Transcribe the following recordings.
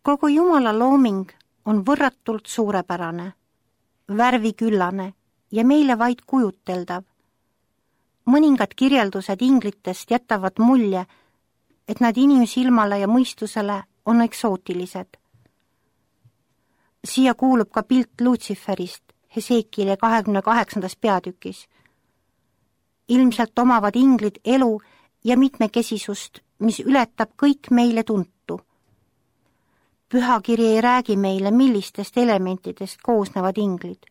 Kogu Jumala looming on võrratult suurepärane, värviküllane ja meile vaid kujuteldav. Mõningad kirjeldused inglitest jätavad mulje, et nad inimsilmale ja mõistusele on eksootilised. Siia kuulub ka pilt Lutsiferist Hesekieli 28. peatükis. Ilmselt omavad inglid elu ja mitmekesisust, mis ületab kõik meile tuntu. Pühakiri ei räägi meile, millistest elementidest koosnevad inglid.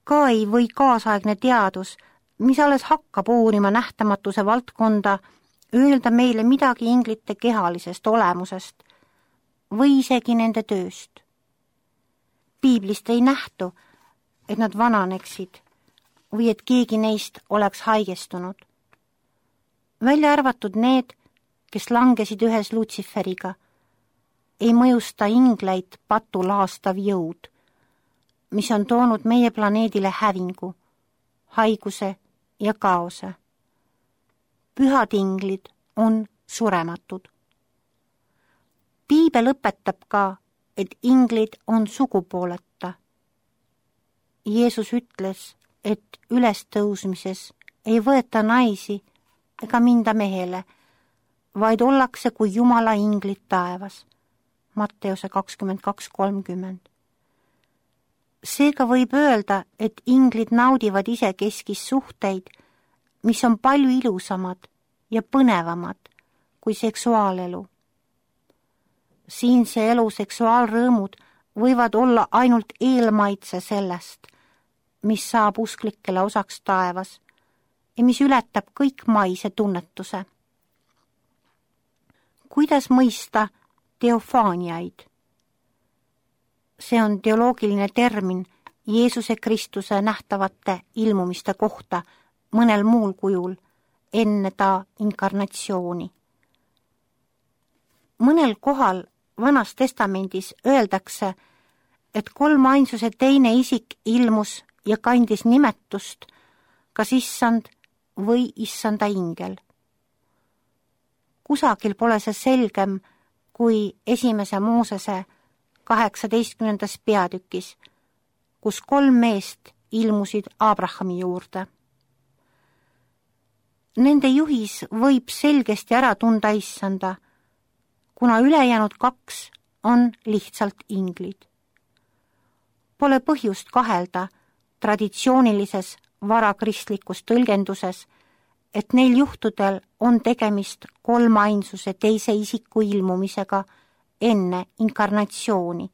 Ka ei või kaasaegne teadus, mis alles hakkab uurima nähtamatuse valdkonda, öelda meile midagi inglite kehalisest olemusest või isegi nende tööst. Piiblist ei nähtu, et nad vananeksid või et keegi neist oleks haigestunud. Välja arvatud need, kes langesid ühes Lutsiferiga, ei mõjusta ingleid patu laastav jõud, mis on toonud meie planeedile hävingu, haiguse ja kaose. Pühad inglid on surematud. Piibel õpetab ka, et inglid on sugupooleta. Jeesus ütles, et ülestõusmises ei võeta naisi ega minda mehele, vaid ollakse kui Jumala inglid taevas. Matteuse 22:30. Seega võib öelda, et inglid naudivad isekeskis suhteid, mis on palju ilusamad ja põnevamad kui seksuaalelu. Siinse elu seksuaalrõõmud võivad olla ainult eelmaitse sellest, mis saab usklikele osaks taevas ja mis ületab kõik maise tunnetuse. Kuidas mõista teofaaniaid? See on teoloogiline termin Jeesuse Kristuse nähtavate ilmumiste kohta mõnel muul kujul enne ta inkarnatsiooni. Mõnel kohal Vanas testamendis öeldakse, et kolmainsuse teine isik ilmus ja kandis nimetust kas issand või issanda ingel. Kusagil pole see selgem kui esimese Moosese 18. peatükis, kus 3 meest ilmusid Abrahami juurde. Nende juhis võib selgesti ära tunda issanda, kuna ülejäänud 2 on lihtsalt inglid. Pole põhjust kahelda traditsioonilises varakristlikus tõlgenduses, et neil juhtudel on tegemist kolmainsuse teise isiku ilmumisega enne inkarnatsiooni.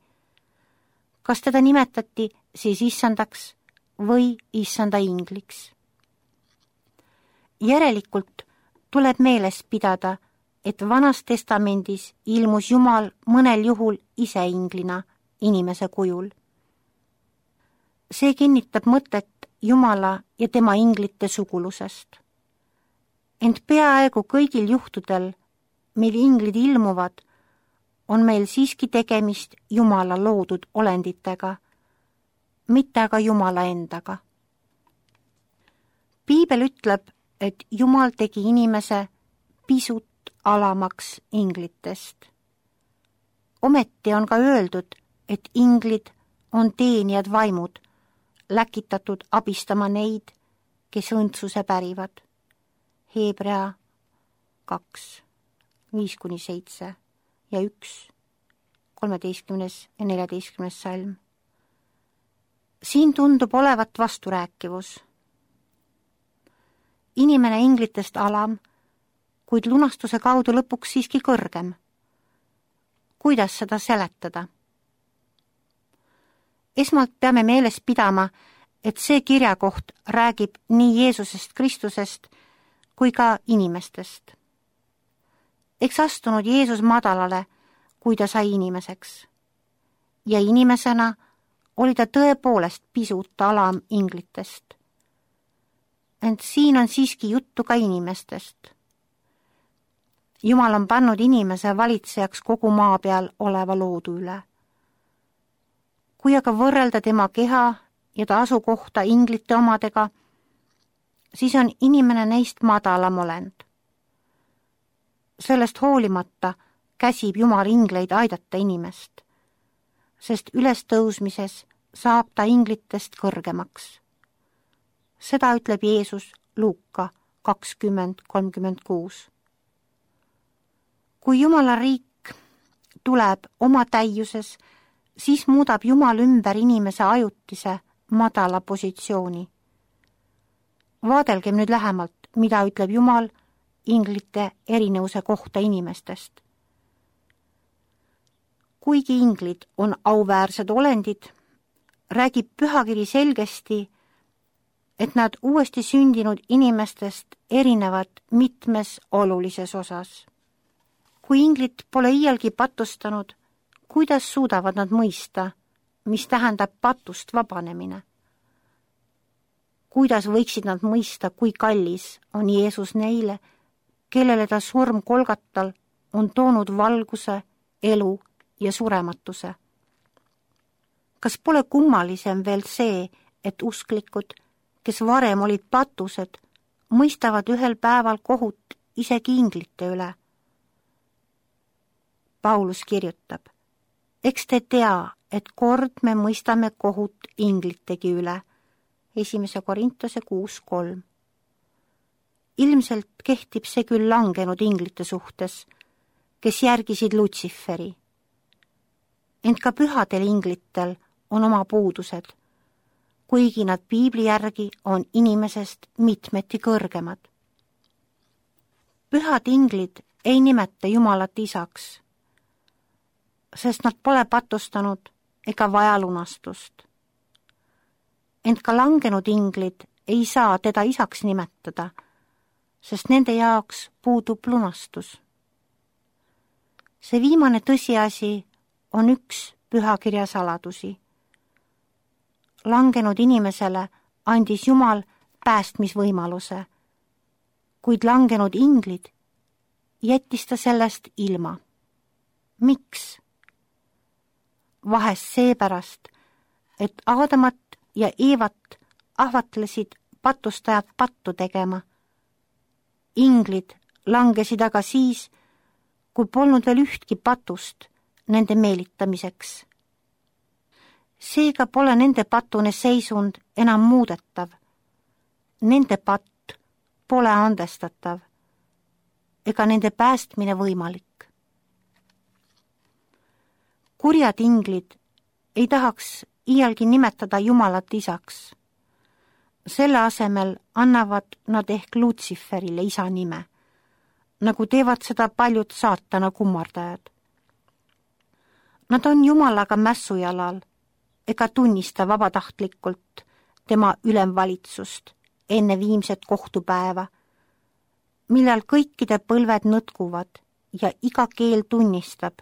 Kas teda nimetati siis issandaks või issanda ingliks? Järelikult tuleb meeles pidada, et Vanas testamendis ilmus Jumal mõnel juhul ise inglina inimese kujul. See kinnitab mõtet Jumala ja tema inglite sugulusest. Ent peaaegu kõigil juhtudel, mil inglid ilmuvad, on meil siiski tegemist Jumala loodud olenditega, mitte aga Jumala endaga. Piibel ütleb, et Jumal tegi inimese pisut alamaks inglitest. Ometi on ka öeldud, et inglid on teenijad vaimud, läkitatud abistama neid, kes õndsuse pärivad. Hebrea 2, 5-7 ja 1, 13. ja 14. salm. Siin tundub olevat vasturääkivus. Inimene inglitest alam, kuid lunastuse kaudu lõpuks siiski kõrgem. Kuidas seda seletada? Esmalt peame meeles pidama, et see kirjakoht räägib nii Jeesusest Kristusest kui ka inimestest. Eks astunud Jeesus madalale, kui ta sai inimeseks. Ja inimesena oli ta tõepoolest pisut alam inglitest. Ent siin on siiski juttu ka inimestest. Jumal on pannud inimese valitsejaks kogu maa peal oleva loodu üle. Kui aga võrrelda tema keha ja ta asukohta inglite omadega, siis on inimene neist madalam olend. Sellest hoolimata käsib Jumal ingleid aidata inimest, sest ülestõusmises saab ta inglitest kõrgemaks. Seda ütleb Jeesus Luuka 20:36. Kui Jumala riik tuleb oma täiuses, siis muudab Jumal ümber inimese ajutise madala positsiooni. Vaadelgem nüüd lähemalt, mida ütleb Jumal inglite erinevuse kohta inimestest. Kuigi inglid on auväärsed olendid, räägib pühakiri selgesti, et nad uuesti sündinud inimestest erinevad mitmes olulises osas. Kui inglid pole iialgi patustanud, kuidas suudavad nad mõista, mis tähendab patust vabanemine? Kuidas võiksid nad mõista, kui kallis on Jeesus neile, kellele ta surm Golgatal on toonud valguse, elu ja surematuse? Kas pole kummalisem veel see, et usklikud, kes varem olid patused, mõistavad ühel päeval kohut isegi inglite üle? Paulus kirjutab, eks te tea, et kord me mõistame kohut inglitegi üle. 1. Korintuse 6:3. Ilmselt kehtib see küll langenud inglite suhtes, kes järgisid Lutsiferi. Ent ka pühadel inglitel on oma puudused, kuigi nad piibli järgi on inimesest mitmeti kõrgemad. Pühad inglid ei nimeta Jumalat isaks, sest nad pole patustanud ega vaja lunastust. Ent ka langenud inglid ei saa teda isaks nimetada, sest nende jaoks puudub lunastus. See viimane tõsiasi on üks pühakirja saladusi. Langenud inimesele andis Jumal päästmisvõimaluse, kuid langenud inglid jättis ta sellest ilma. Miks? Vahest seepärast, et Aadamat ja Eevat ahvatlesid patustajad pattu tegema. Inglid langesid aga siis, kui polnud veel ühtki patust nende meelitamiseks. Seega pole nende patune seisund enam muudetav. Nende patt pole andestatav ega nende päästmine võimalik. Kurjad inglid ei tahaks iialgi nimetada Jumalat isaks. Selle asemel annavad nad ehk Lutsiferile isa nime, nagu teevad seda paljud saatana kummardajad. Nad on Jumalaga mässujalal ega tunnista vabatahtlikult tema ülemvalitsust enne viimset kohtupäeva, millal kõikide põlved nõtkuvad ja iga keel tunnistab,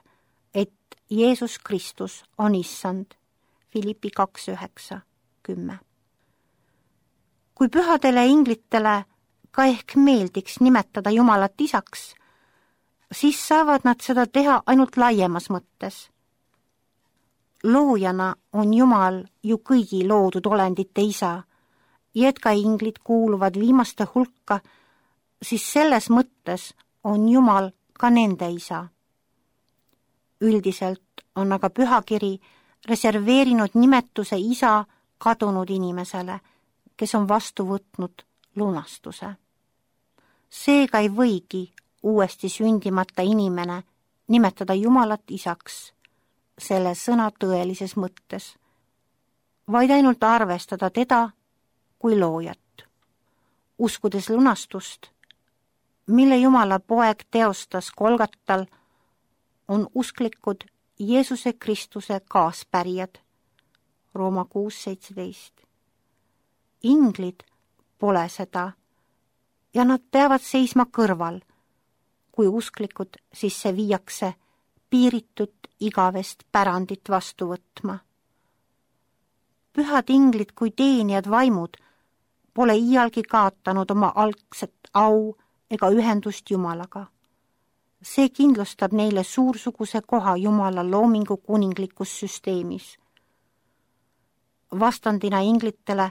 et Jeesus Kristus on issand. Filippi 2:9-10. Kui pühadele inglitele ka ehk meeldiks nimetada Jumalat isaks, siis saavad nad seda teha ainult laiemas mõttes. Loojana on Jumal ju kõigi loodud olendite isa ja et ka inglid kuuluvad viimaste hulka, siis selles mõttes on Jumal ka nende isa. Üldiselt on aga pühakiri reserveerinud nimetuse isa kadunud inimesele, kes on vastu võtnud lunastuse. Seega ei võigi uuesti sündimata inimene nimetada Jumalat isaks selle sõna tõelises mõttes, vaid ainult arvestada teda kui loojat. Uskudes lunastust, mille Jumala poeg teostas Golgatal, on usklikud Jeesuse Kristuse kaaspärijad. Rooma 6:17. Inglid pole seda ja nad peavad seisma kõrval, kui usklikud sisse viiakse piiritut igavest pärandit vastu võtma. Pühad inglid kui teenijad vaimud pole iialgi kaotanud oma algset au ega ühendust Jumalaga. See kindlustab neile suursuguse koha Jumala loomingu kuninglikus süsteemis. Vastandina inglitele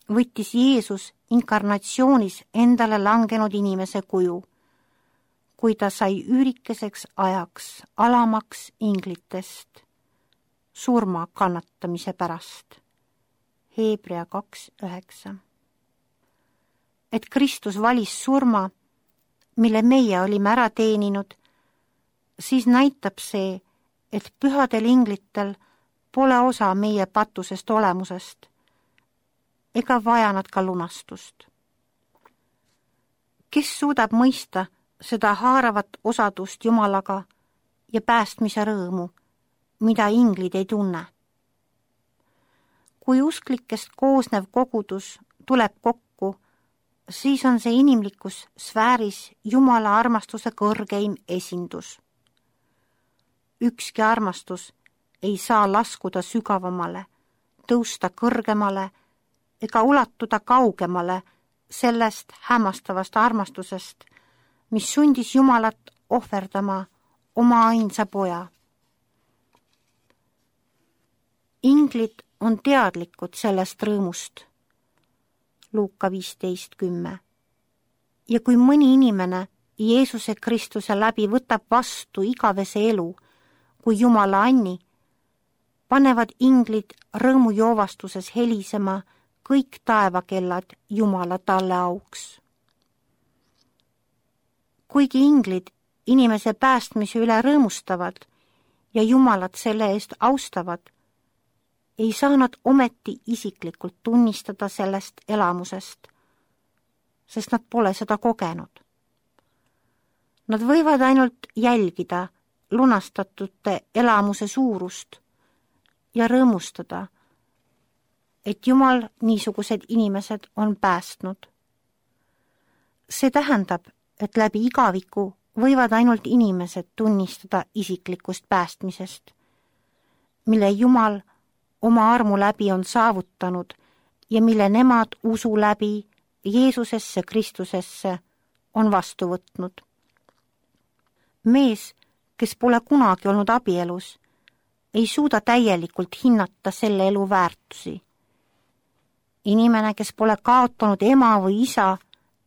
võttis Jeesus inkarnatsioonis endale langenud inimese kuju, kui ta sai üürikeseks ajaks alamaks inglitest surma kannatamise pärast. Hebrea 2:9. Et Kristus valis surma, mille meie olime ära teeninud, siis näitab see, et pühadel inglitel pole osa meie patusest olemusest ega vaja nad ka lunastust. Kes suudab mõista seda haaravat osadust Jumalaga ja päästmise rõõmu, mida inglid ei tunne? Kui usklikest koosnev kogudus tuleb kokku, siis on see inimlikus sfääris Jumala armastuse kõrgeim esindus. Ükski armastus ei saa laskuda sügavamale, tõusta kõrgemale ega ulatuda kaugemale sellest hämmastavast armastusest, mis sundis Jumalat ohverdama oma ainsa poja. Inglid on teadlikud sellest rõõmust. Luuka 15:10. Ja kui mõni inimene Jeesuse Kristuse läbi võtab vastu igavese elu kui Jumala anni, panevad inglid rõõmujoovastuses helisema kõik taevakellad Jumala talle auks. Kuigi inglid inimese päästmise üle rõõmustavad ja Jumalat selle eest austavad, ei saa nad ometi isiklikult tunnistada sellest elamusest, sest nad pole seda kogenud. Nad võivad ainult jälgida lunastatute elamuse suurust ja rõõmustada, et Jumal niisugused inimesed on päästnud. See tähendab, et läbi igaviku võivad ainult inimesed tunnistada isiklikust päästmisest, mille Jumal oma armu läbi on saavutanud ja mille nemad usu läbi Jeesusesse Kristusesse on vastu võtnud. Mees, kes pole kunagi olnud abielus, ei suuda täielikult hinnata selle elu väärtusi. Inimene, kes pole kaotanud ema või isa,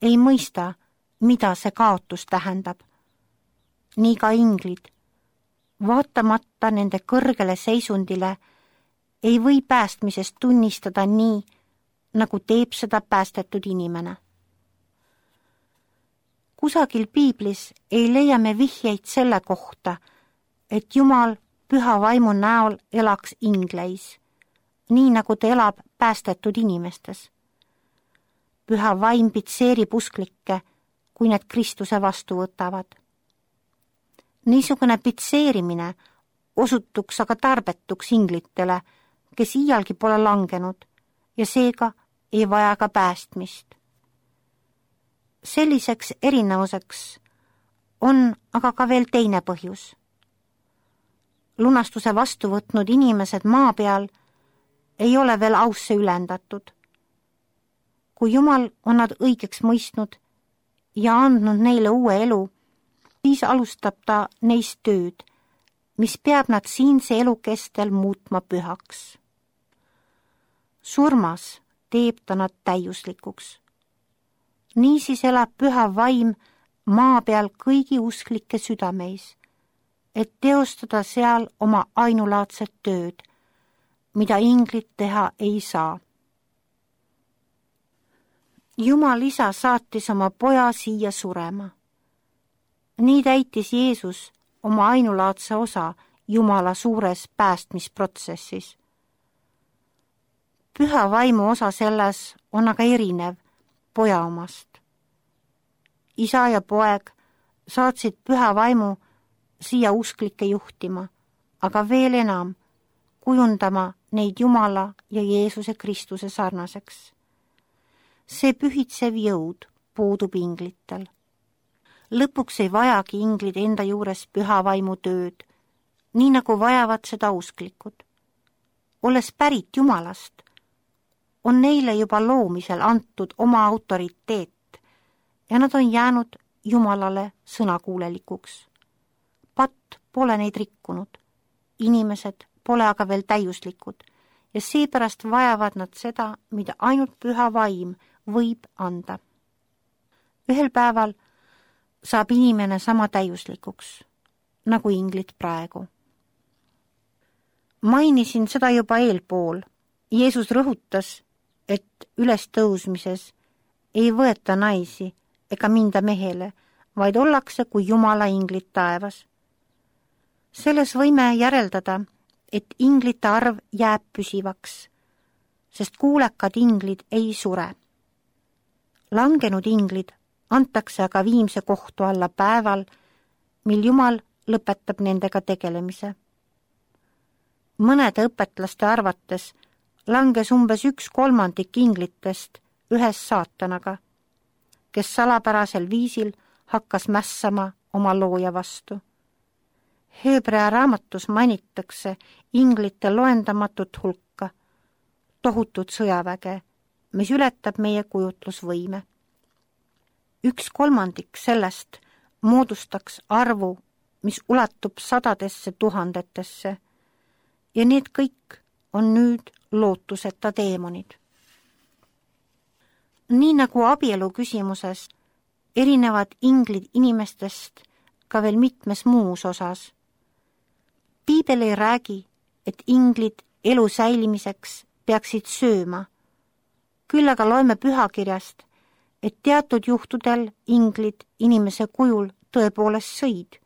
ei mõista, mida see kaotus tähendab. Nii ka inglid, vaatamata nende kõrgele seisundile, ei või päästmisest tunnistada nii, nagu teeb seda päästetud inimene. Kusagil piiblis ei leia me vihjeid selle kohta, et Jumal püha vaimu näol elaks ingleis, nii nagu ta elab päästetud inimestes. Püha vaim pitseerib usklikke, kui need Kristuse vastu võtavad. Niisugune pitseerimine osutuks aga tarbetuks inglitele, kes iialgi pole langenud ja seega ei vaja ka päästmist. Selliseks erinevuseks on aga ka veel teine põhjus. Lunastuse vastu võtnud inimesed maa peal ei ole veel ausse ülendatud. Kui Jumal on nad õigeks mõistnud ja andnud neile uue elu, siis alustab ta neist tööd, mis peab nad siinse elu kestel muutma pühaks. Surmas teeb ta nad täiuslikuks. Niisiis elab püha vaim maa peal kõigi usklike südameis, et teostada seal oma ainulaadset tööd, mida inglid teha ei saa. Jumal isa saatis oma poja siia surema. Nii täitis Jeesus oma ainulaadse osa Jumala suures päästmisprotsessis. Püha vaimu osa selles on aga erinev poja omast. Isa ja poeg saatsid püha vaimu siia usklikke juhtima, aga veel enam kujundama neid Jumala ja Jeesuse Kristuse sarnaseks. See pühitsev jõud puudub inglitel. Lõpuks ei vajagi inglid enda juures püha vaimu tööd, nii nagu vajavad seda usklikud. Olles pärit Jumalast, on neile juba loomisel antud oma autoriteet ja nad on jäänud Jumalale sõnakuulelikuks. Patt pole neid rikkunud, inimesed pole aga veel täiuslikud ja seepärast vajavad nad seda, mida ainult püha vaim võib anda. Ühel päeval saab inimene sama täiuslikuks, nagu inglid praegu. Mainisin seda juba eelpool. Jeesus rõhutas, et ülestõusmises ei võeta naisi ega minda mehele, vaid ollakse kui Jumala inglid taevas. Selles võime järeldada, et inglite arv jääb püsivaks, sest kuulekad inglid ei sure. Langenud inglid antakse aga viimse kohtu alla päeval, mil Jumal lõpetab nendega tegelemise. Mõnede õpetlaste arvates langes umbes 1/3 inglitest ühes saatanaga, kes salapärasel viisil hakkas mässama oma looja vastu. Hebrea raamatus mainitakse inglite loendamatut hulka, tohutut sõjaväge, mis ületab meie kujutlusvõime. 1/3 sellest moodustaks arvu, mis ulatub sadadesse tuhandetesse ja need kõik on nüüd lootuseta teemonid. Nii nagu abielu küsimuses erinevad inglid inimestest ka veel mitmes muus osas. Piibel ei räägi, et inglid elu säilimiseks peaksid sööma. Küll aga loeme pühakirjast, et teatud juhtudel inglid inimese kujul tõepoolest sõid.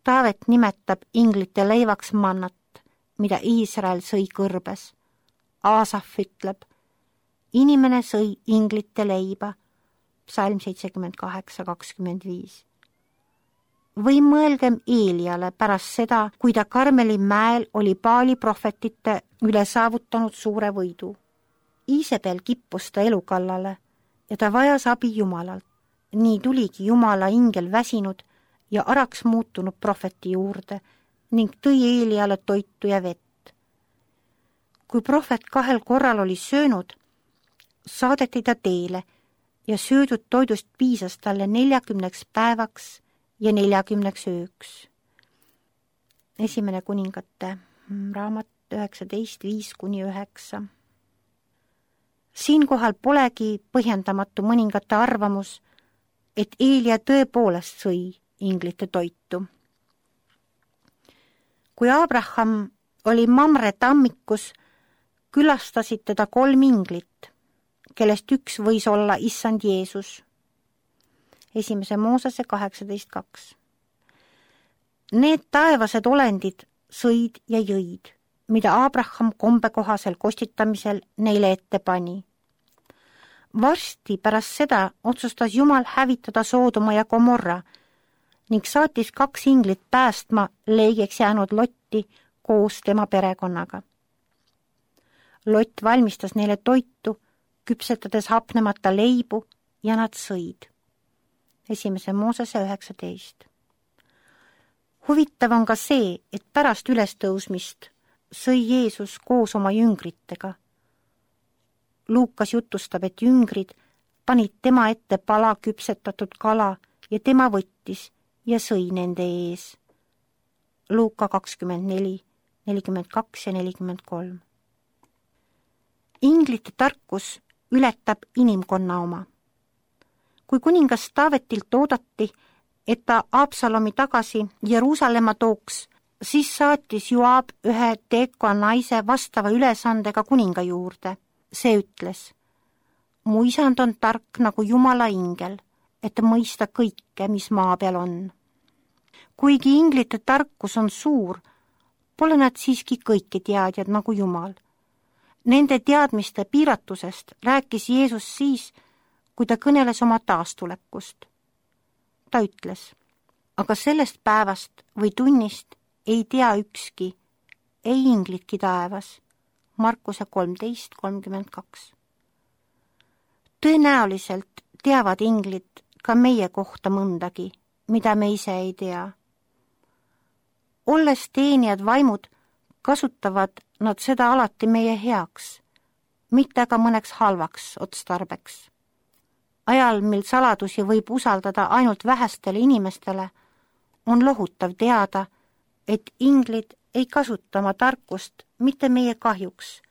Taavet nimetab inglite leivaks mannat, mida Iisrael sõi kõrbes. Aasaf ütleb, inimene sõi inglite leiba, psalm 78:25. Või mõelgem Eeliale pärast seda, kui ta Karmeli mäel oli Baali prohvetite üle saavutanud suure võidu. Iisabel kippus ta elu kallale ja ta vajas abi Jumalalt. Nii tuligi Jumala ingel väsinud ja araks muutunud prohveti juurde ning tõi Eeliale toitu ja vett. Kui prohvet 2 korral oli söönud, saadeti ta teele ja söödud toidust piisas talle 40 päevaks ja 40 ööks. 1. Kuningate raamat 19:5-9. Siinkohal polegi põhjendamatu mõningate arvamus, et Eelia tõepoolest sõi inglite toitu. Kui Abraham oli Mamre tammikus, külastasid teda 3 inglit, kellest üks võis olla issand Jeesus. 1. Moosese 18:2. Need taevased olendid sõid ja jõid, mida Abraham kombekohasel kostitamisel neile ette pani. Varsti pärast seda otsustas Jumal hävitada Soodoma ja Gomorra ning saatis 2 inglit päästma leigeks jäänud Lotti koos tema perekonnaga. Lott valmistas neile toitu, küpsetades hapnemata leibu ja nad sõid. 1. Moosese 19. Huvitav on ka see, et pärast ülestõusmist sõi Jeesus koos oma jüngritega. Luukas jutustab, et jüngrid panid tema ette pala küpsetatud kala ja tema võttis ja sõi nende ees. Luuka 24, 42 ja 43. Inglite tarkus ületab inimkonna oma. Kui kuningas Taavetilt oodati, et ta Absalomi tagasi Jeruusalemma tooks, siis saatis Joab ühe Tekoa naise vastava ülesandega kuninga juurde. See ütles, mu isand on tark nagu Jumala ingel, et mõista kõike, mis maa peal on. Kuigi inglite tarkus on suur, pole nad siiski kõiki teadjad nagu Jumal. Nende teadmiste piiratusest rääkis Jeesus siis, kui ta kõneles oma taastulekust. Ta ütles, aga sellest päevast või tunnist ei tea ükski, ei inglitki taevas. Markuse 13:32. Tõenäoliselt teavad inglid ka meie kohta mõndagi, mida me ise ei tea. Olles teenijad vaimud, kasutavad nad seda alati meie heaks, mitte aga mõneks halvaks otstarbeks. Ajal, mil saladusi võib usaldada ainult vähestele inimestele, on lohutav teada, et inglid ei kasuta oma tarkust mitte meie kahjuks,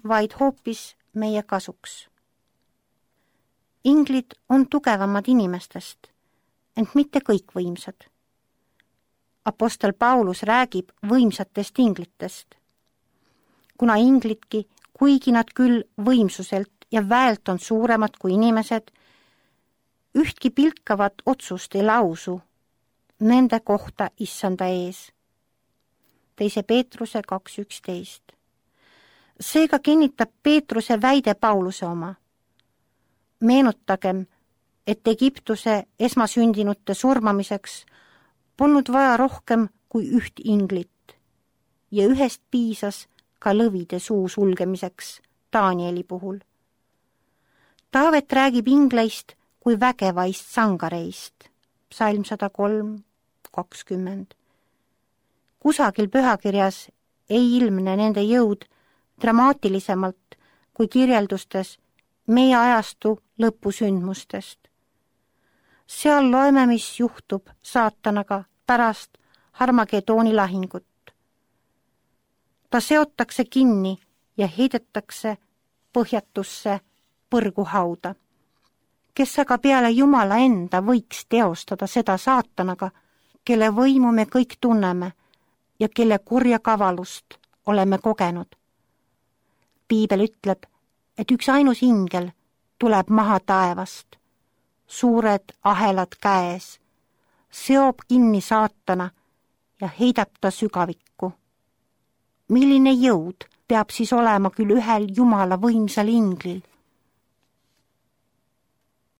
vaid hoopis meie kasuks. Inglid on tugevamad inimestest ent mitte kõik võimsad. Apostel Paulus räägib võimsatest inglitest. Kuna inglidki, kuigi nad küll võimsuselt ja väelt on suuremad kui inimesed, ühtki pilkavat otsust ei lausu nende kohta issanda ees. 2. Peetruse 2.11. Seega kinnitab Peetruse väide Pauluse oma. Meenutagem, et Egiptuse esmasündinute surmamiseks polnud vaja rohkem kui üht inglit ja ühest piisas ka lõvide suu sulgemiseks Danieli puhul. Taavet räägib ingleist kui vägevaist sangareist, psalm 103:20. Kusagil pühakirjas ei ilmne nende jõud dramaatilisemalt kui kirjeldustes meie ajastu lõpusündmustest. Seal loeme, mis juhtub saatanaga pärast Harmagedooni lahingut. Ta seotakse kinni ja heidetakse põhjatusse põrguhauda. Kes aga peale Jumala enda võiks teostada seda saatanaga, kelle võimu me kõik tunneme ja kelle kurja kavalust oleme kogenud. Piibel ütleb, et üks ainus ingel tuleb maha taevast, suured ahelad käes, seob kinni saatana ja heidab ta sügavikku. Milline jõud peab siis olema küll ühel Jumala võimsal inglil,